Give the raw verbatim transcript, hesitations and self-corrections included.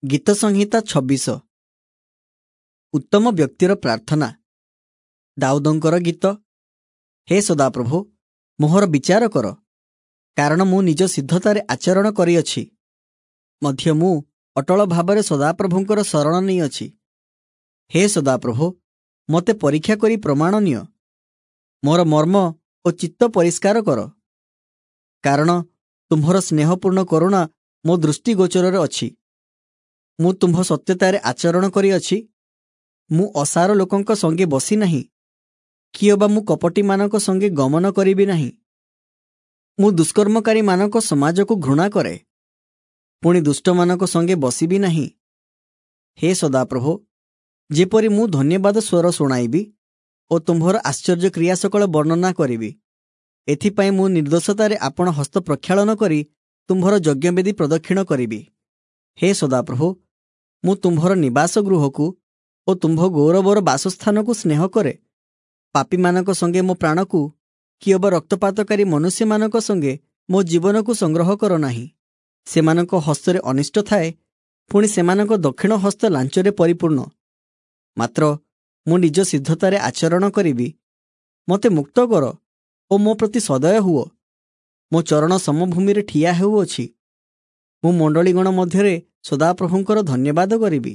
ଗୀତ ସଂହିତା ଛବିଶ। ଉତ୍ତମ ବ୍ୟକ୍ତିର ପ୍ରାର୍ଥନା। ଦାଉଦଙ୍କର ଗୀତ। ହେ ସଦାପ୍ରଭୁ, ମୋହର ବିଚାର କର, କାରଣ ମୁଁ ନିଜ ସିଦ୍ଧତାରେ ଆଚରଣ କରିଅଛି। ମଧ୍ୟ ମୁଁ ଅଟଳ ଭାବରେ ସଦାପ୍ରଭୁଙ୍କର ଶରଣ ନେଇଅଛି। ହେ ସଦାପ୍ରଭୁ, ମୋତେ ପରୀକ୍ଷା କରି ପ୍ରମାଣ ନିଅ, ମୋର ମର୍ମ ଓ ଚିତ୍ତ ପରିଷ୍କାର କର, କାରଣ ତୁମ୍ଭର ସ୍ନେହପୂର୍ଣ୍ଣ କରୁଣା ମୋ ଦୃଷ୍ଟିଗୋଚରରେ ଅଛି। ମୁଁ ତୁମ୍ଭ ସତ୍ୟତାରେ ଆଚରଣ କରିଅଛି। ମୁଁ ଅସାର ଲୋକଙ୍କ ସଙ୍ଗେ ବସି ନାହିଁ, କିଅବା ମୁଁ କପଟୀମାନଙ୍କ ସଙ୍ଗେ ଗମନ କରିବି ନାହିଁ। ମୁଁ ଦୁଷ୍କର୍ମକାରୀମାନଙ୍କ ସମାଜକୁ ଘୃଣା କରେ, ପୁଣି ଦୁଷ୍ଟମାନଙ୍କ ସଙ୍ଗେ ବସିବି ନାହିଁ। ହେ ସଦାପ୍ରଭୁ, ଯେପରି ମୁଁ ଧନ୍ୟବାଦ ସ୍ୱର ଶୁଣାଇବି ଓ ତୁମ୍ଭର ଆଶ୍ଚର୍ଯ୍ୟ କ୍ରିୟା ସକଳ ବର୍ଣ୍ଣନା କରିବି, ଏଥିପାଇଁ ମୁଁ ନିର୍ଦ୍ଦୋଷତାରେ ଆପଣ ହସ୍ତ ପ୍ରକ୍ଷାଳନ କରି ତୁମ୍ଭର ଯଜ୍ଞବେଦୀ ପ୍ରଦକ୍ଷିଣ କରିବି। ହେ ସଦାପ୍ରଭୁ, ମୁଁ ତୁମ୍ଭର ନିବାସ ଗୃହକୁ ଓ ତୁମ୍ଭ ଗୌରବର ବାସସ୍ଥାନକୁ ସ୍ନେହ କରେ। ପାପୀମାନଙ୍କ ସଙ୍ଗେ ମୋ ପ୍ରାଣକୁ କିଅବା ରକ୍ତପାତକାରୀ ମନୁଷ୍ୟମାନଙ୍କ ସଙ୍ଗେ ମୋ ଜୀବନକୁ ସଂଗ୍ରହ କର ନାହିଁ। ସେମାନଙ୍କ ହସ୍ତରେ ଅନିଷ୍ଟ ଥାଏ, ପୁଣି ସେମାନଙ୍କ ଦକ୍ଷିଣ ହସ୍ତ ଲାଞ୍ଚରେ ପରିପୂର୍ଣ୍ଣ। ମାତ୍ର ମୁଁ ନିଜ ସିଦ୍ଧତାରେ ଆଚରଣ କରିବି। ମୋତେ ମୁକ୍ତ କର ଓ ମୋ ପ୍ରତି ସଦୟ ହୁଅ। ମୋ ଚରଣ ସମଭୂମିରେ ଠିଆ ହେଉଅଛି। ମୁଁ ମଣ୍ଡଳୀଗଣ ମଧ୍ୟରେ ସଦାପ୍ରଭୁଙ୍କର ଧନ୍ୟବାଦ କରିବି।